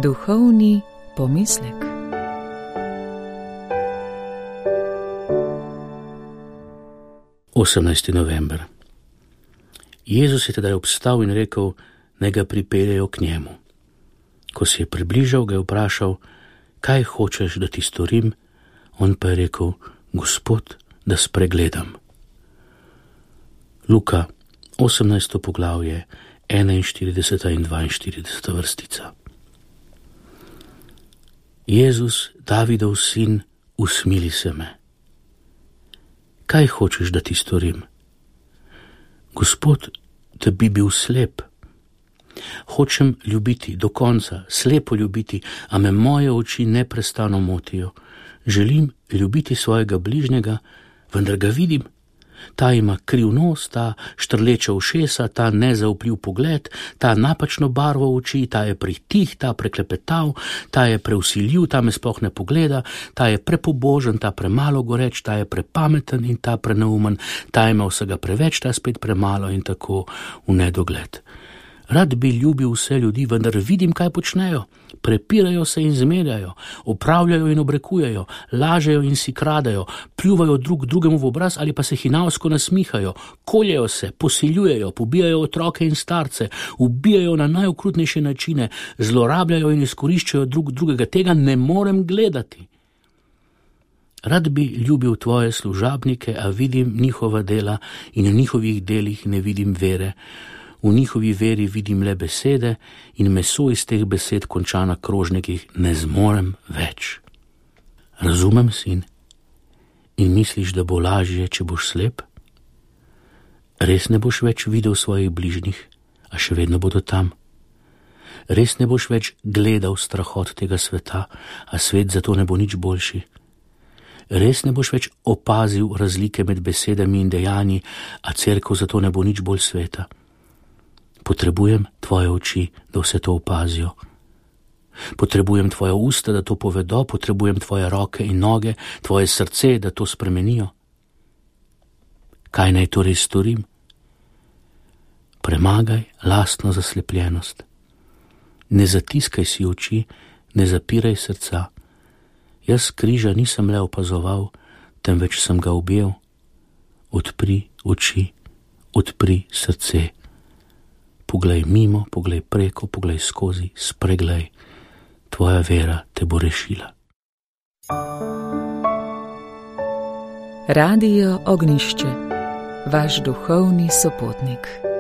Duhovni pomislek. November. Jezus je tedaj obstal in rekel, naj ga pripeljejo k njemu. Ko se je približal, ga je vprašal, kaj hočeš, da ti storim? On pa je rekel, Gospod, da spregledam. Luka, 18. poglavje, 41. in 42. vrstica. Jezus, Davidov sin, usmili se me. Kaj hočeš, da ti storim? Gospod, da bi bil slep. Hočem ljubiti do konca, slepo ljubiti, a me moje oči neprestano motijo. Želim ljubiti svojega bližnjega, vendar ga vidim. Ta ima kriv nos, ta štrleča ušesa, ta nezaupljiv pogled, ta napačno barvo oči, ta je pritih, ta preklepetav, ta je preusiljiv, ta me sploh ne pogleda, ta je prepobožen, ta premalo goreč, ta je prepameten in ta preneumen, ta ima vsega preveč, ta spet premalo in tako v nedogled. Rad bi ljubil vse ljudi, vendar vidim, kaj počnejo. Prepirajo se in zmerjajo, opravljajo in obrekujejo, lažejo in si kradejo, pljuvajo drug drugemu v obraz ali pa se hinavsko nasmihajo, koljejo se, posiljujejo, pobijajo otroke in starce, ubijajo na najokrutnejše načine, zlorabljajo in izkoriščajo drug drugega. Tega ne morem gledati. Rad bi ljubil tvoje služabnike, a vidim njihova dela in v njihovih delih ne vidim vere. V njihovi veri vidim le besede in meso iz teh besed konča na krožnikih, ne zmorem več. Razumem, sin? In misliš, da bo lažje, če boš slep? Res ne boš več videl svojih bližnjih, a še vedno bodo tam. Res ne boš več gledal strahot tega sveta, a svet zato ne bo nič boljši. Res ne boš več opazil razlike med besedami in dejanji, a cerkev zato ne bo nič bolj sveta. Potrebujem tvoje oči, da vse to opazijo. Potrebujem tvoje usta, da to povedo, potrebujem tvoje roke in noge, tvoje srce, da to spremenijo. Kaj naj torej storim? Premagaj lastno zaslepljenost. Ne zatiskaj si oči, ne zapiraj srca. Jaz križa nisem le opazoval, temveč sem ga objel. Odpri oči, odpri srce. Poglej mimo, poglej preko, poglej skozi, spreglej. Tvoja vera te bo rešila. Radio Ognjišče, vaš duhovni sopotnik.